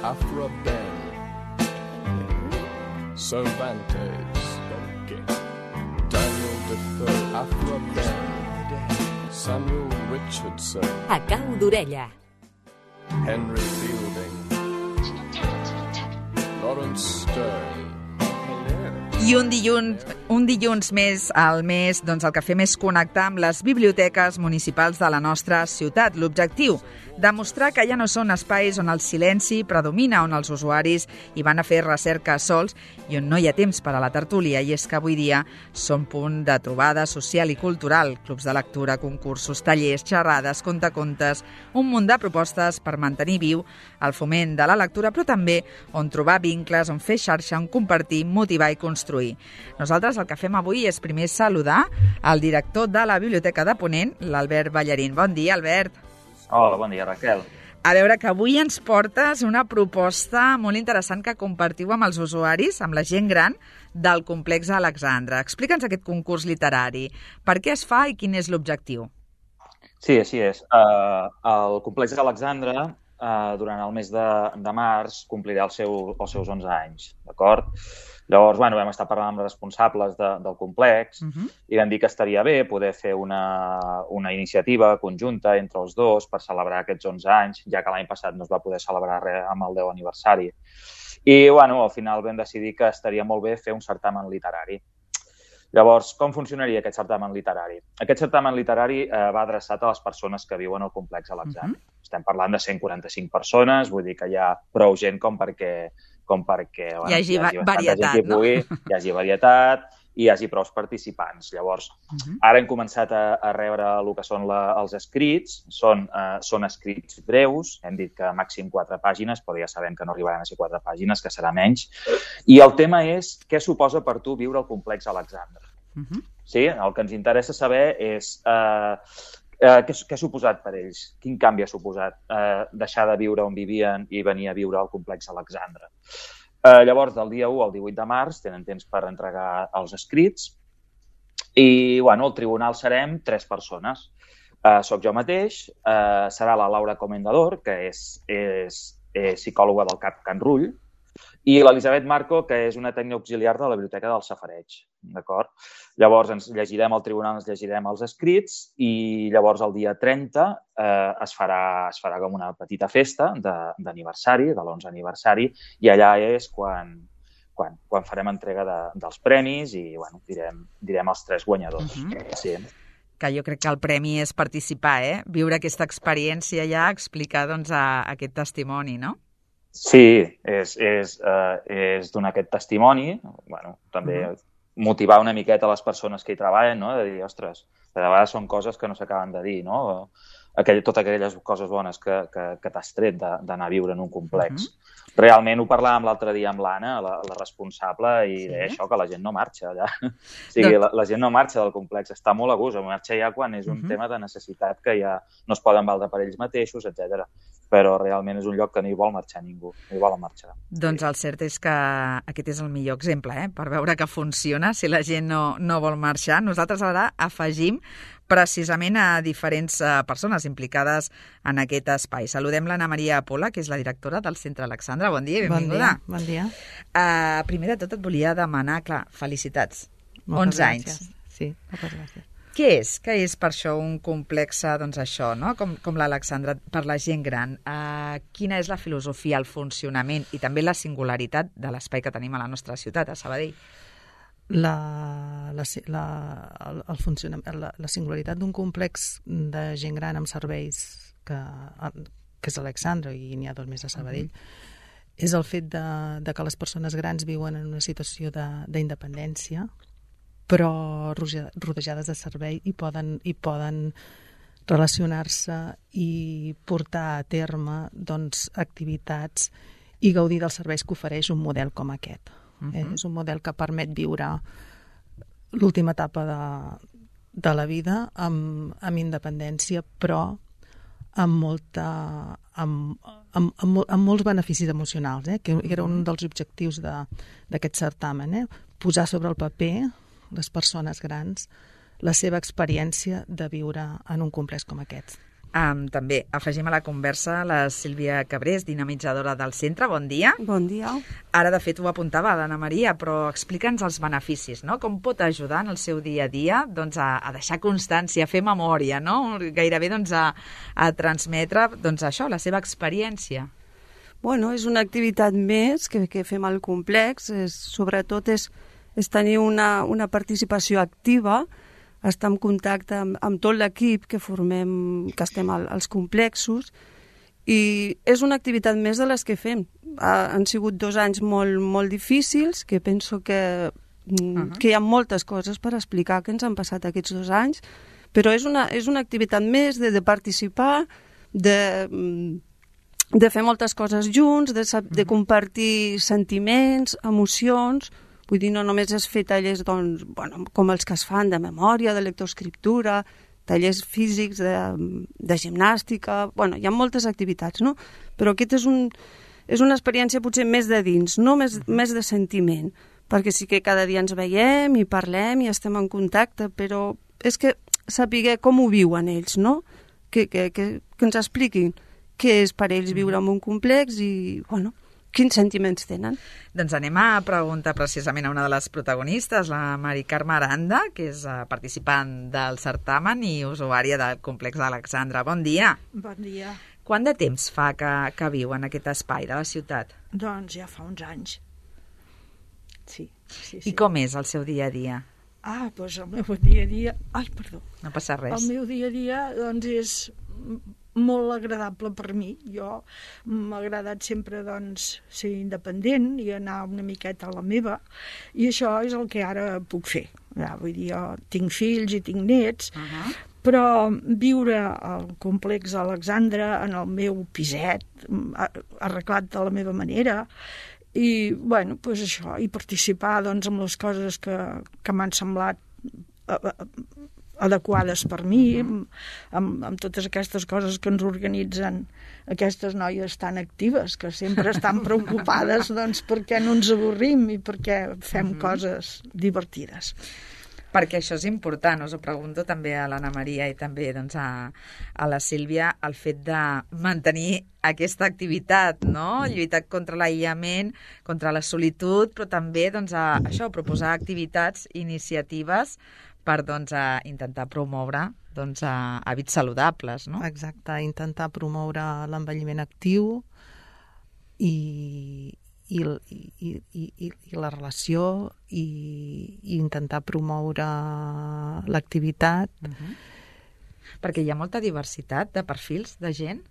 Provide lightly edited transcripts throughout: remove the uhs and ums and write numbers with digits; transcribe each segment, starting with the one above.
Afra Ben, Cervantes, Daniel Defoe, Afra Ben, Samuel Richardson, A cau d'orella. Henry Fielding, Lawrence Stern. I un dilluns més al mes, doncs el que fem és connectar amb les biblioteques municipals de la nostra ciutat. L'objectiu, demostrar que ja no són espais on el silenci predomina, on els usuaris hi van a fer recerca sols i on no hi ha temps per a la tertúlia. I és que avui dia són punt de trobada social i cultural, clubs de lectura, concursos, tallers, xerrades, contacontes, un munt de propostes per mantenir viu el foment de la lectura, però també on trobar vincles, on fer xarxa, on compartir, motivar i construir. Nosaltres el que fem avui és primer saludar el director de la Biblioteca de Ponent, l'Albert Ballarín. Bon dia, Albert. Hola, bon dia, Raquel. A veure, que avui ens portes una proposta molt interessant que compartiu amb els usuaris, amb la gent gran del Complex Alexandra. Explica'ns aquest concurs literari. Per què es fa i quin és l'objectiu? Sí, així és. El Complex Alexandra, durant el mes de març, complirà els seus 11 anys, d'acord? Llavors, vam estar parlant amb els responsables del complex i vam dir que estaria bé poder fer una iniciativa conjunta entre els dos per celebrar aquests 11 anys, ja que l'any passat no es va poder celebrar res amb el 10 aniversari. I, al final vam decidir que estaria molt bé fer un certamen literari. Llavors, com funcionaria aquest certamen literari? Aquest certamen literari va adreçat a les persones que viuen al complex Alexandra. Estem parlant de 145 persones, vull dir que hi ha prou gent com perquè hi hagi varietat, no? Hi hagi varietat i hi hagi prou participants. Llavors, ara hem començat a rebre el que són els escrits. Són escrits breus, hem dit que màxim 4 pàgines, però ja sabem que no arribaran a ser 4 pàgines, que serà menys. I el tema és què suposa per tu viure al complex Alexandra. Sí? El que ens interessa saber és què ha suposat per ells? Quin canvi ha suposat deixar de viure on vivien i venir a viure al complex Alexandra? Llavors, del dia 1 al 18 de març tenen temps per entregar els escrits i, al tribunal serem 3 persones. Soc jo mateix, serà la Laura Comendador, que és psicòloga del CAP Can Rull, i l'Elisabet Marco, que és una tècnica auxiliar de la Biblioteca del Safareig. D'acord? Llavors, al tribunal ens llegirem els escrits i llavors el dia 30 es farà com una petita festa d'aniversari, de l'11 aniversari, i allà és quan farem entrega dels premis i direm els 3 guanyadors. Sí. Que jo crec que el premi és participar, viure aquesta experiència ja, explicar aquest testimoni, no? Sí, és donar aquest testimoni, també motivar una miqueta les persones que hi treballen, no? De dir, ostres, de vegades són coses que no s'acaben de dir, no? Totes aquelles coses bones que t'has tret d'anar a viure en un complex. Realment ho parlàvem l'altre dia amb l'Anna, la responsable, i deia això, que la gent no marxa allà. O sigui, la gent no marxa del complex, està molt a gust, marxa ja quan és un tema de necessitat que ja no es poden valdre per ells mateixos, etc. Però realment és un lloc que no hi vol marxar ningú, no hi volen marxar. Doncs el cert és que aquest és el millor exemple, per veure que funciona, si la gent no vol marxar. Nosaltres ara afegim precisament a diferents persones implicades en aquest espai. Saludem l'Anna Maria Pola, que és la directora del Centre Alexandra. Bon dia i benvinguda. Bon dia. Primer de tot et volia demanar, clar, felicitats. Moltes 11 anys. Sí, moltes gràcies. Què és per això un complex, això, no? Com l'Alexandra, per la gent gran? Quina és la filosofia, el funcionament i també la singularitat de l'espai que tenim a la nostra ciutat, a Sabadell? La singularitat d'un complex de gent gran amb serveis que és Alexandra, i n'hi ha 2 més a Sabadell, és el fet de que les persones grans viuen en una situació d'independència, però rodejades de servei i poden relacionar-se i portar a terme activitats i gaudir dels serveis que ofereix un model com aquest. És un model que permet viure l'última etapa de la vida amb independència, però amb molts beneficis emocionals, que era un dels objectius d'aquest certamen, posar sobre el paper les persones grans la seva experiència de viure en un complex com aquest. També afegim a la conversa la Sílvia Cabrés, dinamitzadora del centre. Bon dia. Bon dia. Ara, de fet, ho apuntava l'Anna Maria, però explica'ns els beneficis, no? Com pot ajudar en el seu dia a dia doncs, a deixar constància, a fer memòria, no? Gairebé doncs, a transmetre doncs, això, la seva experiència. Bueno, és una activitat més que fem al complex. Sobretot és tenir una participació activa, estar en contacte amb tot l'equip que estem als complexos, i és una activitat més de les que fem. Han sigut 2 anys molt difícils, que penso que hi ha moltes coses per explicar que ens han passat aquests 2 anys, però és una activitat més de participar, de fer moltes coses junts, de compartir sentiments, emocions. Vull dir, no només és fer tallers com els que es fan de memòria, de lectoescriptura, tallers físics, de gimnàstica. Hi ha moltes activitats, no? Però aquest és una experiència potser més de dins, no més de sentiment, perquè sí que cada dia ens veiem i parlem i estem en contacte, però és que saber com ho viuen ells, no? Que ens expliquin què és per ells viure en un complex i, quins sentiments tenen. Doncs anem a preguntar precisament a una de les protagonistes, la Mari Carme Aranda, que és participant del certamen i usuària del complex d'Alexandra. Bon dia. Bon dia. Quant de temps fa que viu en aquest espai de la ciutat? Doncs ja fa uns anys. Sí. I com és el seu dia a dia? Doncs el meu dia a dia... Ai, perdó. No passa res. El meu dia a dia, doncs, és molt agradable per mi. Jo m'ha agradat sempre, doncs, ser independent i anar una miqueta a la meva, i això és el que ara puc fer. Vull dir, jo tinc fills i tinc nets, però viure al complex Alexandra en el meu piset, arreglat de la meva manera, i, doncs això, i participar, doncs, amb les coses que m'han semblat adequades per mi, amb totes aquestes coses que ens organitzen aquestes noies tan actives, que sempre estan preocupades doncs, perquè no ens avorrim i perquè fem coses divertides. Perquè això és important, us ho pregunto també a l'Anna Maria i també doncs, a la Sílvia, el fet de mantenir aquesta activitat, no? Lluitar contra l'aïllament, contra la solitud, però també doncs, això, proposar activitats, iniciatives per doncs, intentar promoure doncs, hàbits saludables, no? Exacte, intentar promoure l'envelliment actiu i la relació i intentar promoure l'activitat. Perquè hi ha molta diversitat de perfils de gent?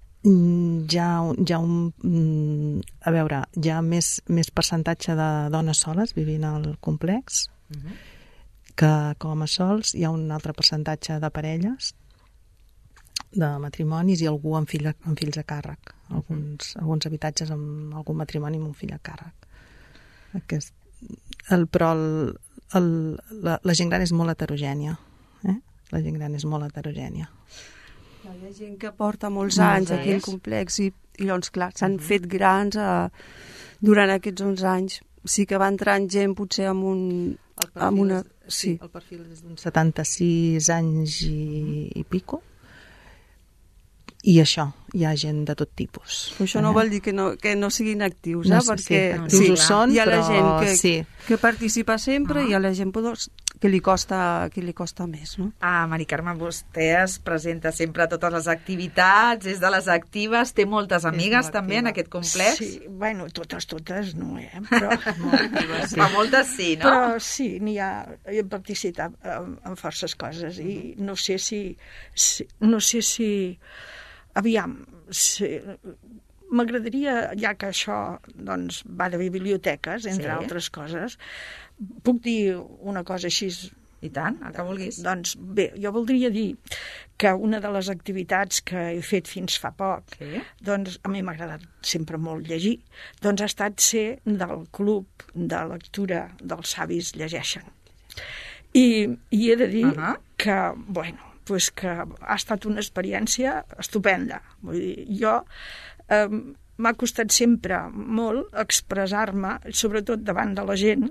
A veure, hi ha més percentatge de dones soles vivint al complex que com a sols. Hi ha un altre percentatge de parelles, de matrimonis i algú amb fills a càrrec. Alguns habitatges amb algun matrimoni amb un fill a càrrec. Però la gent gran és molt heterogènia. La gent gran és molt heterogènia. Hi ha gent que porta molts anys aquí al complex i doncs, clar, s'han fet grans durant aquests 11 anys. Sí que va entrant gent potser amb una... Sí, el perfil és d'uns 76 anys i pico. I això, hi ha gent de tot tipus. Però això no vol dir que no siguin actius, perquè ho són, hi ha la gent que participa sempre i hi ha la gent que li costa més, no? Mari Carme, vostè es presenta sempre a totes les activitats, és de les actives, té moltes amigues també en aquest complex? Sí, totes no, Però... moltes sí, no? Però sí, he participat en forces coses i no sé si aviam, m'agradaria, ja que això doncs, va de biblioteques, entre altres coses, puc dir una cosa així? I tant, el que vulguis. Doncs bé, jo voldria dir que una de les activitats que he fet fins fa poc, doncs a mi m'ha agradat sempre molt llegir, doncs ha estat ser del club de lectura dels savis llegeixen. I he de dir que, pues que ha estat una experiència estupenda. Vull dir, jo m'ha costat sempre molt expressar-me, sobretot davant de la gent,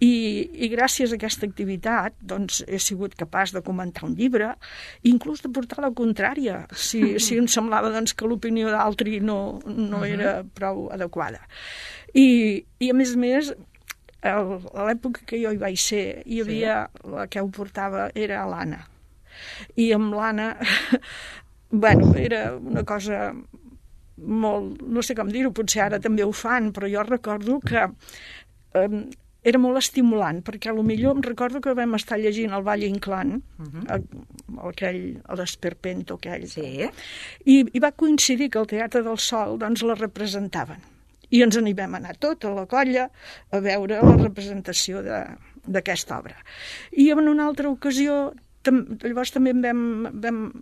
i gràcies a aquesta activitat doncs, he sigut capaç de comentar un llibre, inclús de portar la contrària, si em semblava doncs, que l'opinió d'altri no era prou adequada. I a més, a l'època que jo hi vaig ser, hi havia, la que ho portava era l'Anna. I amb l'Anna, era una cosa molt, no sé com dir-ho, potser ara també ho fan, però jo recordo que era molt estimulant, perquè potser em recordo que vam estar llegint el Valle Inclán, l'Esperpento aquell, i va coincidir que el Teatre del Sol doncs, la representaven. I ens n'hi vam anar tota la colla a veure la representació d'aquesta obra. I en una altra ocasió, llavors també vam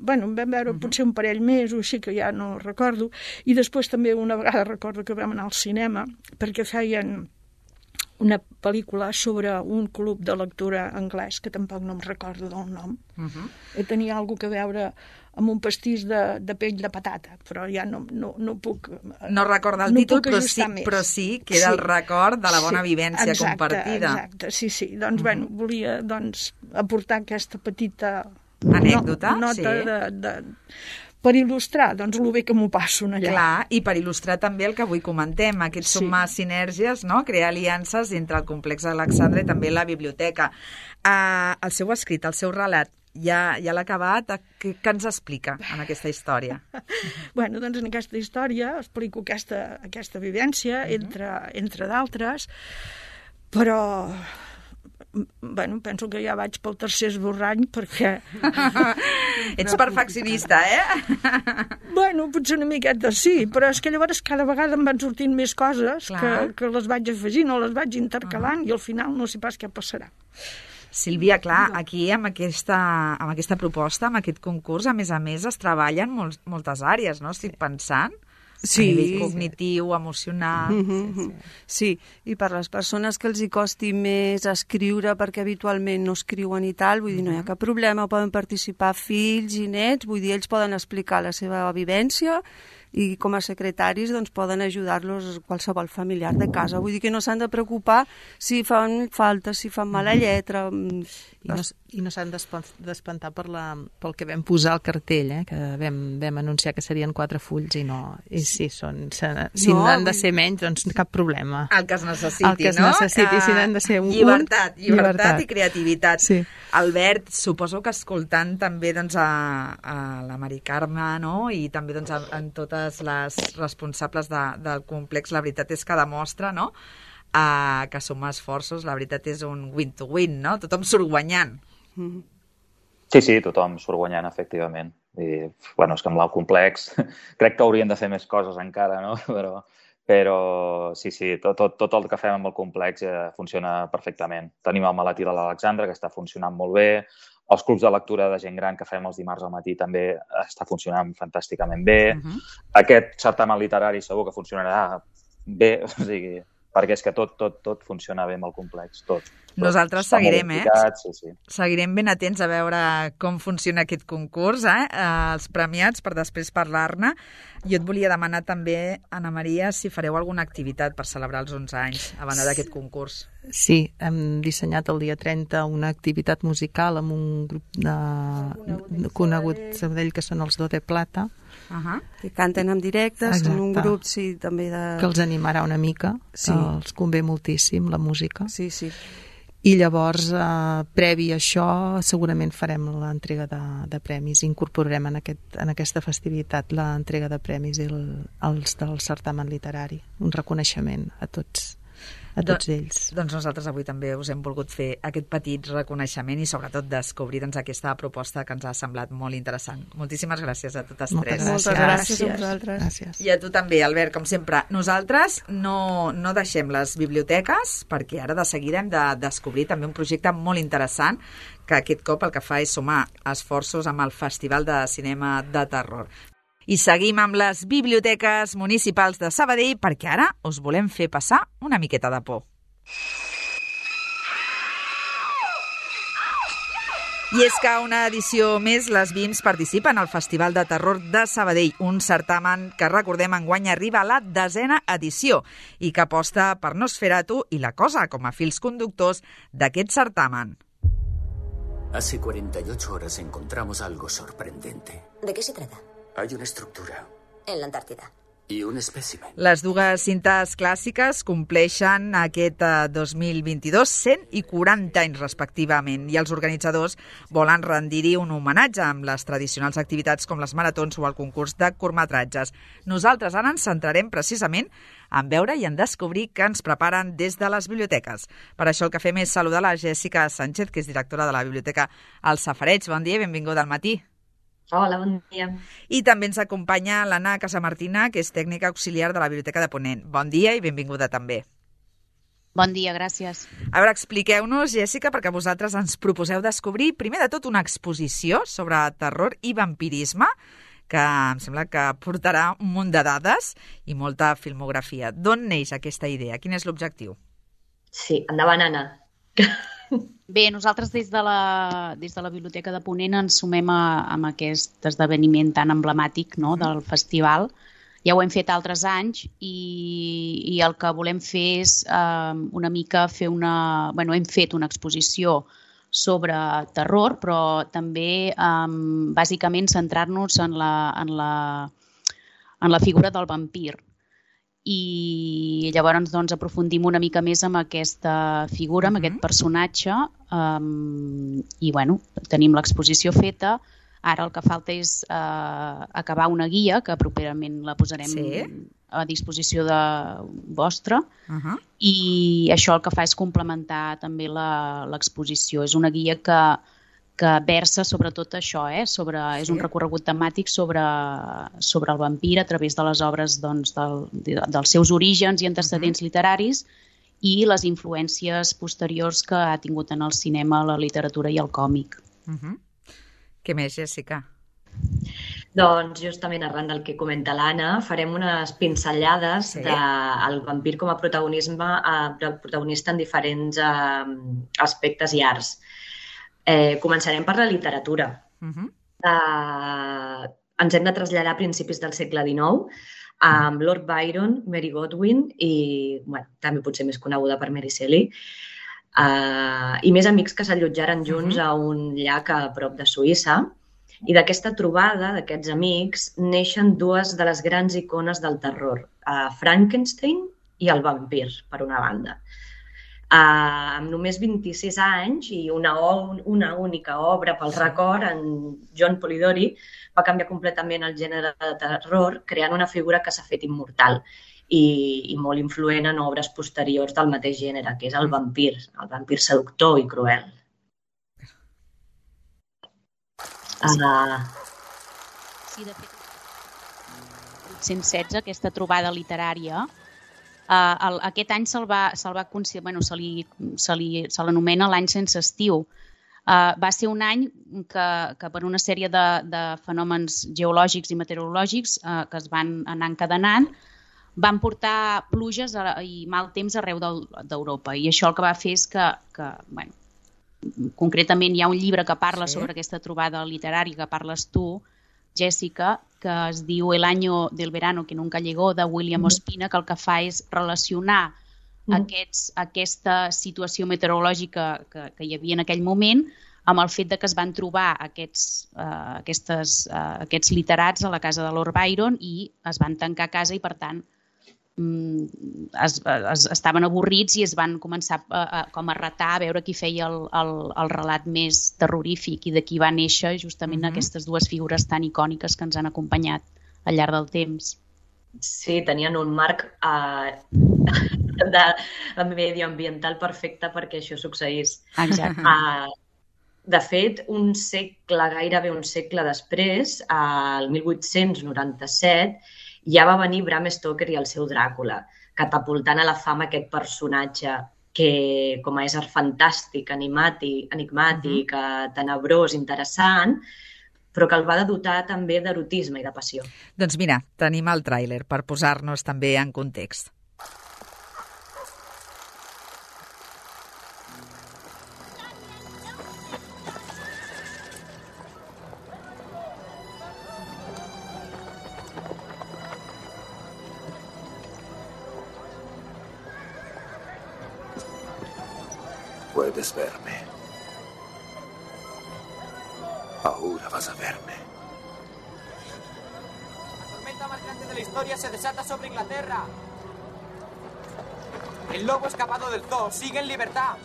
veure potser un parell més o així, que ja no recordo, i després també una vegada recordo que vam anar al cinema perquè feien una pel·lícula sobre un club de lectura anglès, que tampoc no em recordo del nom. Tenia alguna cosa a veure amb un pastís de pell de patata, però ja no puc... No recorda el títol, però sí que era el record de la bona vivència compartida. Exacte, sí. Doncs, volia aportar aquesta petita anècdota, nota per il·lustrar doncs, el bé que m'ho passo allà. Clar, i per il·lustrar també el que avui comentem, aquest sumar sinergies, no? Crear aliances entre el complex Alexandre i també la biblioteca. El seu escrit, el seu relat, ja l'ha acabat. Què ens explica en aquesta història? Doncs en aquesta història explico aquesta vivència, entre d'altres, però... penso que ja vaig pel tercer esborrany perquè... Ets perfeccionista, Potser una miqueta sí, però és que llavors cada vegada em van sortint més coses que les vaig afegint o les vaig intercalant i al final no sé pas què passarà. Sílvia, clar, aquí amb aquesta proposta, amb aquest concurs, a més, es treballen moltes àrees, no? Estic pensant... Sí. A nivell cognitiu, emocional... Sí, i per les persones que els hi costi més escriure perquè habitualment no escriuen i tal, vull dir, no hi ha cap problema, poden participar fills i nets, vull dir, ells poden explicar la seva vivència i com a secretaris doncs, poden ajudar-los qualsevol familiar de casa. Vull dir que no s'han de preocupar si fan falta, si fan mala lletra... I no s'han d'espantar pel que vam posar al cartell, que vam anunciar que serien 4 fulls i no... I sí, si n'han de ser menys, doncs cap problema. El que es necessiti, no? El que es necessiti, si n'han de ser un... Llibertat i creativitat. Sí. Albert, suposo que escoltant també doncs, a la Mari Carme, no? I també doncs, en totes les responsables del complex, la veritat és que demostra, no?, que sumar esforços, la veritat és un win-to-win, no? Tothom surt guanyant. Sí, tothom surt guanyant, efectivament. I, és que amb el complex crec que haurien de fer més coses encara, no? Però sí, tot el que fem amb el complex funciona perfectament. Tenim el maletí de l'Alexandre, que està funcionant molt bé. Els clubs de lectura de gent gran que fem els dimarts al matí també està funcionant fantàsticament bé. Aquest certamen literari segur que funcionarà bé, o sigui... perquè és que tot funciona bé amb el complex, tot. Nosaltres seguirem, Sí. Seguirem ben atents a veure com funciona aquest concurs, els premiats, per després parlar-ne. Jo et volia demanar també, Anna Maria, si fareu alguna activitat per celebrar els 11 anys, a banda d'aquest concurs. Sí, hem dissenyat el dia 30 una activitat musical amb un grup conegut Sabadell, que són els Do de Plata, que canten en directe, són un grup també que els animarà una mica, que els convé moltíssim la música. Sí. I llavors, previ a això, segurament farem l'entrega de premis. Incorporarem en aquesta festivitat l'entrega de premis i els del certamen literari. Un reconeixement a tots ells. Doncs nosaltres avui també us hem volgut fer aquest petit reconeixement i sobretot descobrir aquesta proposta que ens ha semblat molt interessant. Moltíssimes gràcies a totes tres. Moltes gràcies a vosaltres. Gràcies. I a tu també, Albert, com sempre. Nosaltres no deixem les biblioteques perquè ara de seguida hem de descobrir també un projecte molt interessant que aquest cop el que fa és sumar esforços amb el Festival de Cinema de Terror. I seguim amb les biblioteques municipals de Sabadell perquè ara us volem fer passar una miqueta de por. I és que una edició més les VIMS participen al Festival de Terror de Sabadell, un certamen que, recordem, enguany arriba a la 10ª edició i que aposta per Nosferatu i La Cosa com a fils conductors d'aquest certamen. Hace 48 horas encontramos algo sorprendente. ¿De qué se trata? Hay una estructura. En la Antártida. I un espècimen. Les dues cintes clàssiques compleixen aquest 2022 100 i 40 anys respectivament i els organitzadors volen rendir-hi un homenatge amb les tradicionals activitats com les maratons o el concurs de curtmetratges. Nosaltres ara ens centrarem precisament en veure i en descobrir què ens preparen des de les biblioteques. Per això el que fem és saludar la Jèssica Sánchez, que és directora de la Biblioteca El Safareig. Bon dia i benvinguda al matí. Hola, bon dia. I també ens acompanya l'Anna Casamartina, que és tècnica auxiliar de la Biblioteca de Ponent. Bon dia i benvinguda també. Bon dia, gràcies. A veure, expliqueu-nos, Jèssica, perquè vosaltres ens proposeu descobrir, primer de tot, una exposició sobre terror i vampirisme, que em sembla que portarà un munt de dades i molta filmografia. D'on neix aquesta idea? Quin és l'objectiu? Sí, endavant, Anna. Bé, nosaltres des de la Biblioteca de Ponent ens sumem a aquest esdeveniment tan emblemàtic, no, del festival. Ja ho hem fet altres anys i el que volem fer és una mica fer hem fet una exposició sobre terror, però també bàsicament centrar-nos en la figura del vampir. I llavors doncs, aprofundim una mica més amb aquesta figura, amb aquest personatge i tenim l'exposició feta. Ara el que falta és acabar una guia que properament la posarem a disposició de vostra i això el que fa és complementar també l'exposició. És una guia que versa sobre tot això, és un recorregut temàtic sobre el vampir a través de les obres dels seus orígens i antecedents literaris i les influències posteriors que ha tingut en el cinema, la literatura i el còmic. Què més, Jèssica? Doncs justament arran del que comenta l'Anna, farem unes pinzellades del vampir com a protagonista en diferents aspectes i arts. Començarem per la literatura. Ens hem de traslladar a principis del segle XIX amb Lord Byron, Mary Godwin i també potser més coneguda per Mary Shelley i més amics que s'allotjaren junts a un llac a prop de Suïssa. I d'aquesta trobada d'aquests amics neixen dues de les grans icones del terror, Frankenstein i el vampir, per una banda. Amb només 26 anys i una única obra pel record, en John Polidori va canviar completament el gènere de terror, creant una figura que s'ha fet immortal i molt influent en obres posteriors del mateix gènere, que és el vampir seductor i cruel. Sí, de fet, 1816, aquesta trobada literària, aquest any se l'anomena l'any sense estiu. Va ser un any que per una sèrie de fenòmens geològics i meteorològics que es van anar encadenant, van portar pluges i mal temps arreu d'Europa. I això el que va fer és que concretament hi ha un llibre que parla sobre aquesta trobada literària que parles tu, Jèssica, que es diu El año del verano que nunca llegó, de William Ospina, que el que fa és relacionar aquesta situació meteorològica que hi havia en aquell moment amb el fet que es van trobar aquests literats a la casa de Lord Byron i es van tancar a casa i, per tant, estaven avorrits i es van començar com a retar a veure qui feia el relat més terrorífic i d'aquí va néixer justament aquestes dues figures tan icòniques que ens han acompanyat al llarg del temps. Sí, tenien un marc medioambiental perfecte perquè això succeís. Exacte. De fet, gairebé un segle després, el 1897, ja va venir Bram Stoker i el seu Dràcula, catapultant a la fama aquest personatge que, com a ésser fantàstic, enigmàtic, tenebrós, interessant, però que el va dotar també d'erotisme i de passió. Doncs mira, tenim el tràiler per posar-nos també en context. Puedes verme. Ahora vas a verme. La tormenta más grande de la historia se desata sobre Inglaterra. El lobo escapado del zoo sigue en libertad.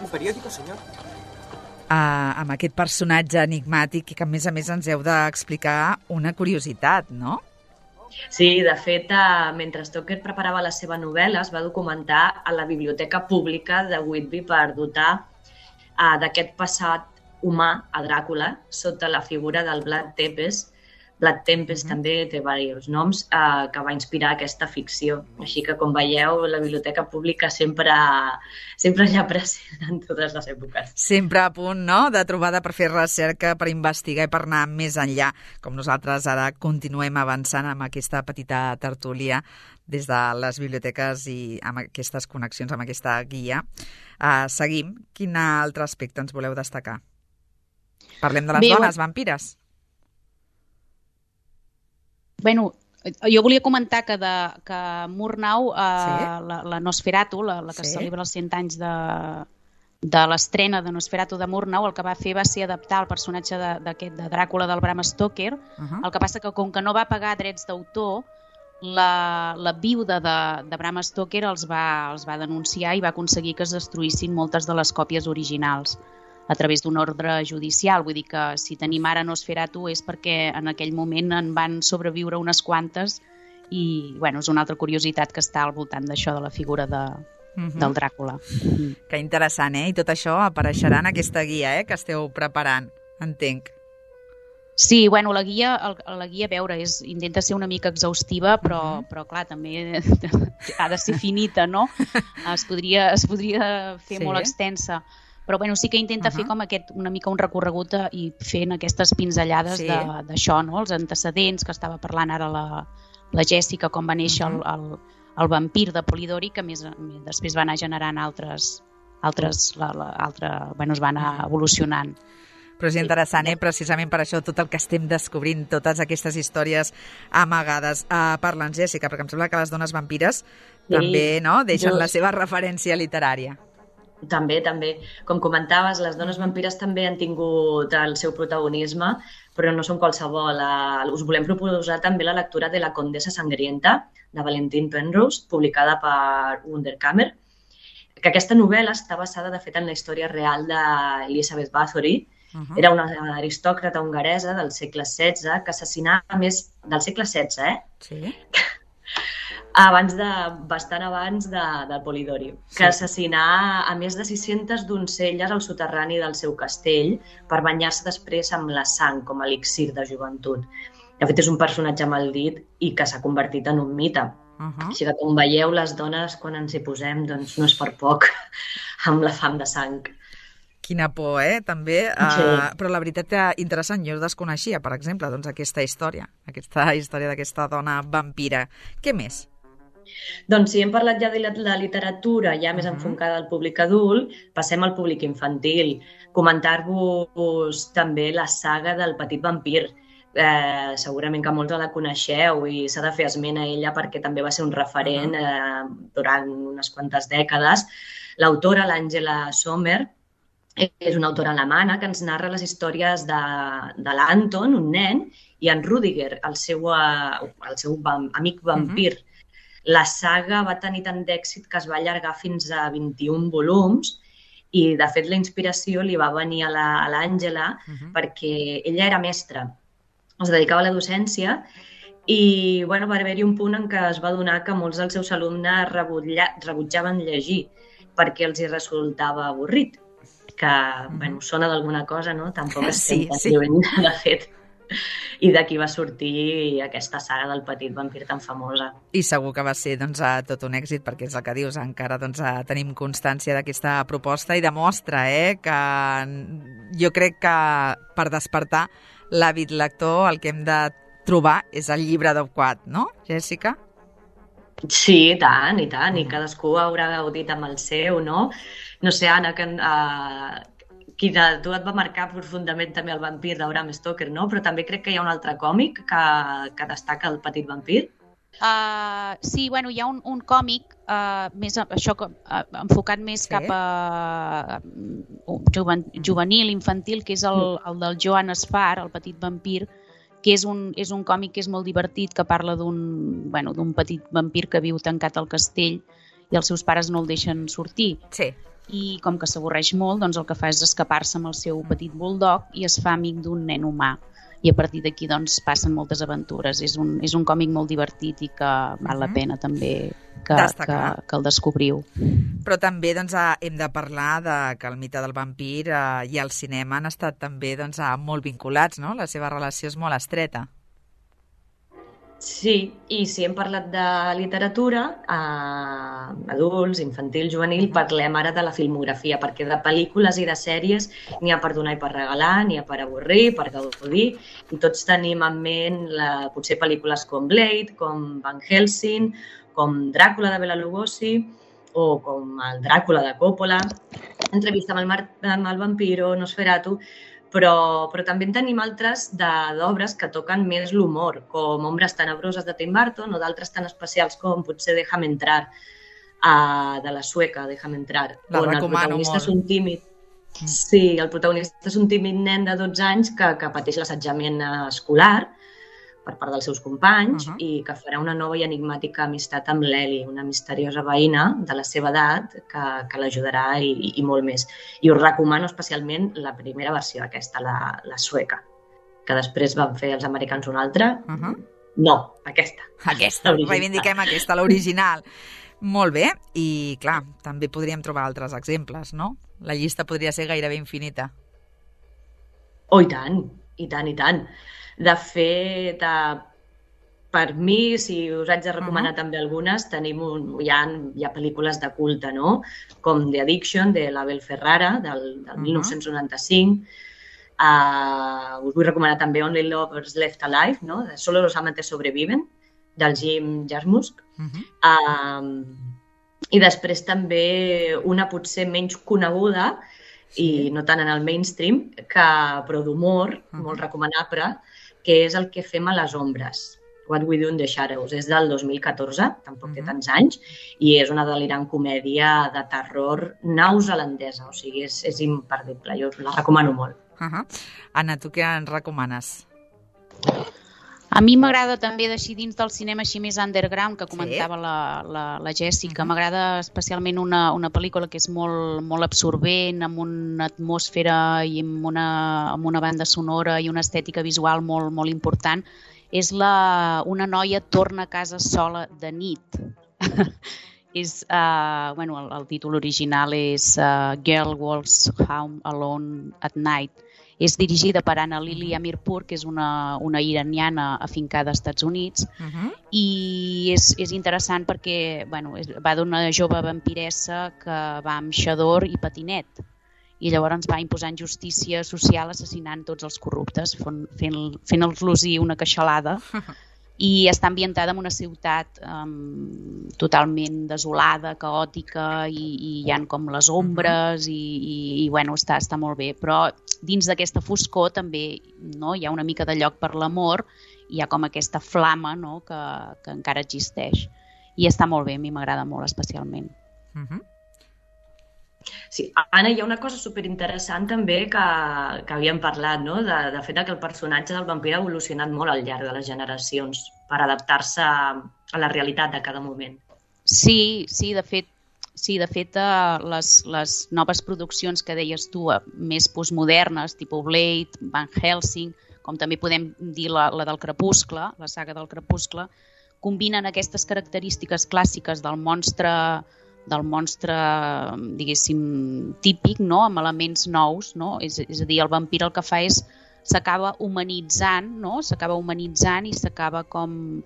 Un periódico, senyor? Amb aquest personatge enigmàtic i que, a més, ens heu d'explicar una curiositat, no? Sí, de fet, mentre Stoker preparava la seva novel·la, es va documentar a la Biblioteca Pública de Whitby per dotar d'aquest passat humà a Dràcula sota la figura del Vlad Tepes. Vlad Tepes també té diversos noms que va inspirar aquesta ficció. Així que, com veieu, la Biblioteca Pública sempre allà present en totes les èpoques. Sempre a punt, no?, de trobada per fer recerca, per investigar i per anar més enllà, com nosaltres ara continuem avançant amb aquesta petita tertúlia des de les biblioteques i amb aquestes connexions, amb aquesta guia. Seguim. Quin altre aspecte ens voleu destacar? Parlem de les dones vampires. Bueno, jo volia comentar que Murnau, la Nosferatu, la que celebra els 100 anys de l'estrena de Nosferatu de Murnau, el que va fer va ser adaptar el personatge de Dràcula del Bram Stoker. El que passa que, com que no va pagar drets d'autor, la viuda de Bram Stoker els va denunciar i va aconseguir que es destruïssin moltes de les còpies originals a través d'un ordre judicial. Vull dir que si tenim ara Nosferatu és perquè en aquell moment en van sobreviure unes quantes i és una altra curiositat que està al voltant d'això, de la figura del Dràcula. Que interessant, I tot això apareixerà en aquesta guia que esteu preparant, entenc. Sí, la guia, a veure, intenta ser una mica exhaustiva, però clar, també ha de ser finita, no? Es podria fer molt extensa. Però sí que intenta fer com una mica un recorregut i fent aquestes pinzellades d'això, no? Els antecedents, que estava parlant ara la Jessica, com va néixer el vampir de Polidori, que després va anar generant altres es va anar evolucionant. Però és interessant, precisament per això, tot el que estem descobrint, totes aquestes històries amagades. Parla'ns, Jessica, perquè em sembla que les dones vampires també deixen la seva referència literària. També. Com comentaves, les dones vampires també han tingut el seu protagonisme, però no són qualsevol. Us volem proposar també la lectura de La Condessa Sangrienta, de Valentin Penrose, publicada per Wunderkammer, que aquesta novel·la està basada, de fet, en la història real d'Elizabeth Bathory. Era una aristòcrata hongaresa del segle XVI que assassinava del segle XVI, Sí. Bastant abans del Polidori, que assassinà a més de 600 doncelles al soterrani del seu castell per banyar-se després amb la sang com a elixir de joventut. De fet, és un personatge maldit i que s'ha convertit en un mite. Així que, com veieu, les dones, quan ens hi posem, doncs no és per poc amb la fam de sang. Quina por, també. Però la veritat que interessant, jo desconeixia, per exemple, aquesta història d'aquesta dona vampira. Què més? Doncs si hem parlat ja de la literatura ja més enfocada al públic adult, passem al públic infantil. Comentar-vos també la saga del Petit Vampir. Segurament que molts la coneixeu i s'ha de fer esment a ella perquè també va ser un referent durant unes quantes dècades. L'autora, l'Angela Sommer, és una autora alemana que ens narra les històries de l'Anton, un nen, i en Rudiger, el seu amic vampir. La saga va tenir tant d'èxit que es va allargar fins a 21 volums i, de fet, la inspiració li va venir a l'Àngela perquè ella era mestra, es dedicava a la docència i va haver-hi un punt en què es va adonar que molts dels seus alumnes rebutjaven llegir perquè els hi resultava avorrit, que sona d'alguna cosa, no? Tampoc estem tan lluny, de fet. I d'aquí va sortir aquesta saga del Petit Vampir tan famosa. I segur que va ser tot un èxit, perquè és el que dius, encara tenim constància d'aquesta proposta i demostra que jo crec que per despertar l'hàbit lector el que hem de trobar és el llibre adequat, no, Jessica? Sí, i tant, i cadascú haurà gaudit amb el seu, no? No sé, Anna, qui de tu et va marcar profundament també el vampir de Bram Stoker, no? Però també crec que hi ha un altre còmic que destaca el Petit Vampir. Sí, bueno, hi ha un còmic més, enfocat més cap a juvenil, infantil, que és el del Joan Esfar, el petit vampir, que és un còmic que és molt divertit, que parla d'un petit vampir que viu tancat al castell i els seus pares no el deixen sortir. Sí. I com que s'avorreix molt, doncs el que fa és escapar-se amb el seu petit bulldog i es fa amic d'un nen humà. I a partir d'aquí doncs, passen moltes aventures. És un còmic molt divertit i que val la pena també que el descobriu. Però també doncs, hem de parlar que el mite del vampir i el cinema han estat també doncs, molt vinculats, no? La seva relació és molt estreta. Sí, i si hem parlat de literatura, adults, infantil, juvenil, parlem ara de la filmografia, perquè de pel·lícules i de sèries n'hi ha per donar i per regalar, n'hi ha per avorrir, per gaudir, i tots tenim en ment potser pel·lícules com Blade, com Van Helsing, com Dràcula de Bela Lugosi, o com el Dràcula de Coppola, Entrevista amb el vampiro, Nosferatu, però també en tenim altres d'obres que toquen més l'humor, com Ombres tenebroses de Tim Burton o d'altres tan especials com potser Déjame entrar, de la sueca, Déjame entrar. La recomano molt. És un tímid. Sí, el protagonista és un tímid nen de 12 anys que pateix l'assetjament escolar per part dels seus companys i que farà una nova i enigmàtica amistat amb l'Eli, una misteriosa veïna de la seva edat que l'ajudarà i molt més. I us recomano especialment la primera versió, aquesta, la sueca, que després van fer els americans una altra. No, aquesta. Aquesta, reivindiquem aquesta, l'original. Molt bé, i clar, també podríem trobar altres exemples, no? La llista podria ser gairebé infinita. Oh, i tant, i tant, i tant. De fet, per mi, si us haig de recomanar també algunes, hi ha pel·lícules de culte, no? Com The Addiction, de l'Abel Ferrara, del 1995. Us vull recomanar també Only Lovers Left Alive, no? De Solo los amantes sobreviven, del Jim Jarmusch. I després també una potser menys coneguda, i no tant en el mainstream, però d'humor, molt recomanable, que és El que fem a les ombres, What We Do in the Shadows. És del 2014, tampoc té tants anys, i és una delirant comèdia de terror neozelandesa, o sigui, és imperdible, jo la recomano molt. Anna, tu què ens recomanes? A mi m'agrada també d'així dins del cinema així més underground, que comentava la Jèssica. M'agrada especialment una pel·lícula que és molt absorbent, amb una atmosfera i amb una banda sonora i una estètica visual molt important. És Una noia torna a casa sola de nit. El títol original és Girl Walks Home Alone at Night. És dirigida per Anna Lily Amirpour, que és una iraniana afincada als Estats Units, i és interessant perquè va d'una jove vampiressa que va amb xador i patinet, i llavors va imposant justícia social assassinant tots els corruptes, fent-los una queixalada, i està ambientada en una ciutat totalment desolada, caòtica, i hi ha com les ombres, i està molt bé. Però dins d'aquesta foscor també hi ha una mica de lloc per l'amor, hi ha com aquesta flama que encara existeix. I està molt bé, a mi m'agrada molt especialment. Sí, Anna, hi ha una cosa superinteressant també que havíem parlat, no? De fet que el personatge del vampir ha evolucionat molt al llarg de les generacions per adaptar-se a la realitat de cada moment. Sí, de fet, les noves produccions que deies tu, més postmodernes, tipus Blade, Van Helsing, com també podem dir la del Crepuscle, la saga del Crepuscle, combinen aquestes característiques clàssiques del monstre, diguéssim, típic, no? Amb elements nous, no? És a dir, el vampir el que fa és s'acaba humanitzant, no? S'acaba humanitzant i s'acaba com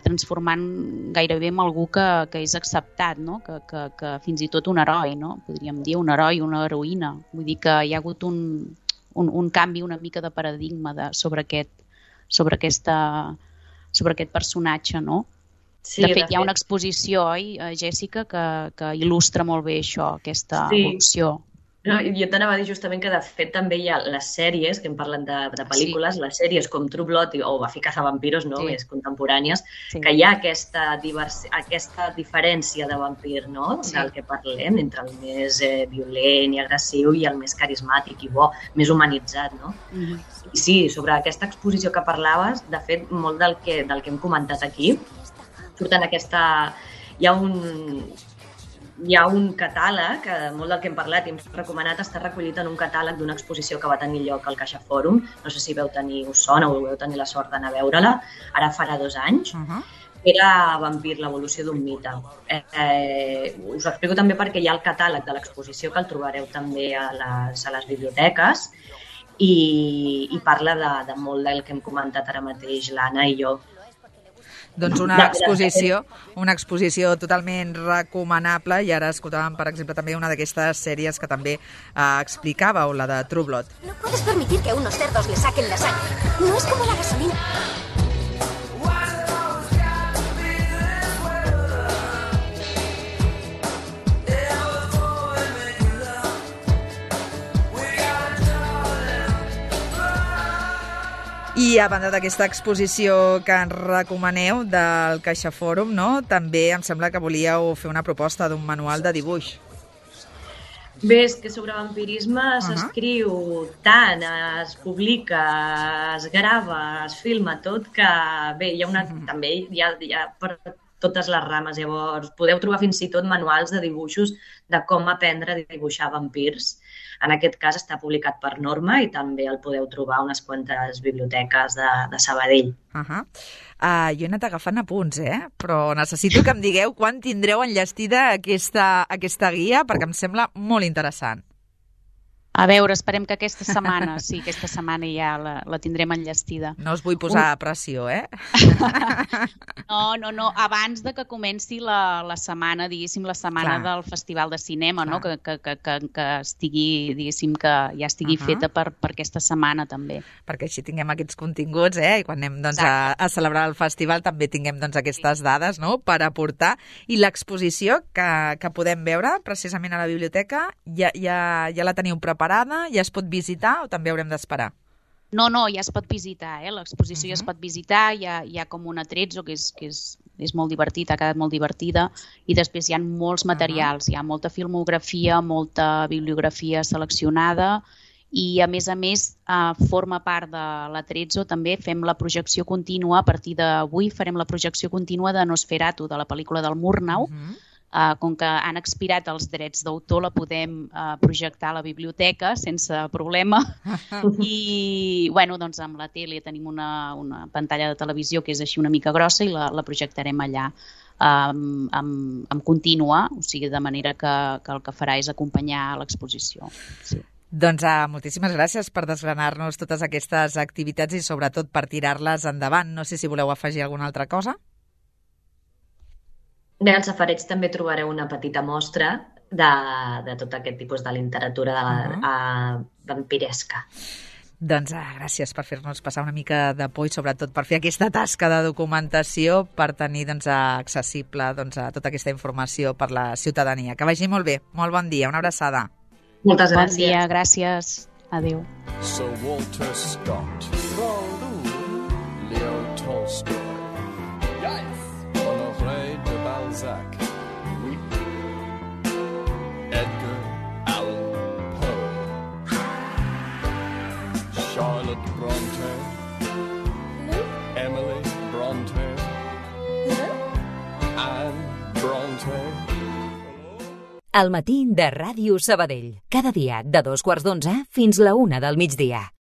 transformant gairebé en algú que és acceptat, no? Que fins i tot un heroi, no? Podríem dir un heroi, una heroïna. Vull dir que hi ha hagut un canvi una mica de paradigma sobre aquest personatge, no? Sí, de fet, hi ha una exposició, oi, Jèssica, que il·lustra molt bé això, aquesta evolució. No, jo t'anava a dir justament que, de fet, també hi ha les sèries, que hem parlat de pel·lícules, les sèries com True Blood o Buffy Cazavampiros, no? Més contemporànies, que hi ha aquesta diferència de vampir, no? Del que parlem, entre el més violent i agressiu i el més carismàtic i bo, més humanitzat, no? I sí, sobre aquesta exposició que parlaves, de fet, molt del que hem comentat aquí, surt en aquesta... Hi ha un catàleg, molt del que hem parlat i hem recomanat, està recollit en un catàleg d'una exposició que va tenir lloc al Caixa Fòrum. No sé si us sona o veu tenir la sort d'anar a veure-la. Ara farà 2 anys. Era Vampir, l'evolució d'un mite. Us ho explico també perquè hi ha el catàleg de l'exposició, que el trobareu també a les biblioteques, i parla de molt del que hem comentat ara mateix l'Anna i jo. Doncs una exposició totalment recomanable, i ara escoltàvem, per exemple, també una d'aquestes sèries que també explicàveu, la de True Blood. No puedes permitir que unos cerdos le saquen la sangre. No es como la gasolina. I a banda d'aquesta exposició que ens recomaneu del Caixa Fòrum, no? També em sembla que volíeu fer una proposta d'un manual de dibuix. Bé, és que sobre vampirisme s'escriu tant, es publica, es grava, es filma tot, que bé, també hi ha per totes les rames. Llavors, podeu trobar fins i tot manuals de dibuixos de com aprendre a dibuixar vampirs. En aquest cas està publicat per Norma i també el podeu trobar a unes quantes biblioteques de Sabadell. Jo he anat agafant apunts, però necessito que em digueu quan tindreu enllestida aquesta guia, perquè em sembla molt interessant. A veure, esperem que aquesta setmana ja la tindrem enllestida. No us vull posar pressió, No, abans de que comenci la setmana, diguéssim, la setmana del Festival de Cinema, no? Que estigui, diguéssim, que ja estigui feta per aquesta setmana també. Perquè així tinguem aquests continguts, i quan anem a celebrar el festival també tinguem aquestes dades, no?, per aportar. I l'exposició que podem veure precisament a la biblioteca, ja la teniu preparada, ja es pot visitar o també haurem d'esperar? No, ja es pot visitar, l'exposició ja es pot visitar, hi ha com un atrezzo que és molt divertit, ha quedat molt divertida, i després hi ha molts materials, hi ha molta filmografia, molta bibliografia seleccionada, i a més forma part de l'Atrezzo també fem la projecció contínua. A partir d'avui farem la projecció contínua de Nosferatu, de la pel·lícula del Murnau. Com que han expirat els drets d'autor, la podem projectar a la biblioteca sense problema. I doncs amb la tele tenim una pantalla de televisió que és així una mica grossa i la projectarem allà en contínua, o sigui, de manera que el que farà és acompanyar l'exposició. Sí. Doncs moltíssimes gràcies per desgranar-nos totes aquestes activitats i sobretot per tirar-les endavant. No sé si voleu afegir alguna altra cosa. Bé, al Safareig també trobareu una petita mostra de tot aquest tipus de literatura vampiresca. Doncs gràcies per fer-nos passar una mica de por i sobretot per fer aquesta tasca de documentació per tenir accessible tota aquesta informació per la ciutadania. Que vagi molt bé, molt bon dia, una abraçada. Moltes gràcies. Bon dia, gràcies. Adéu. Sir Walter Scott, Leo Tolstoy, Honoré de Balzac, Edgar Allan Poe, Charlotte Bronte, Emily Bronte, Anne Bronte. Al matí de Ràdio Sabadell. Cada dia de 2:15 fins la 1 del migdia.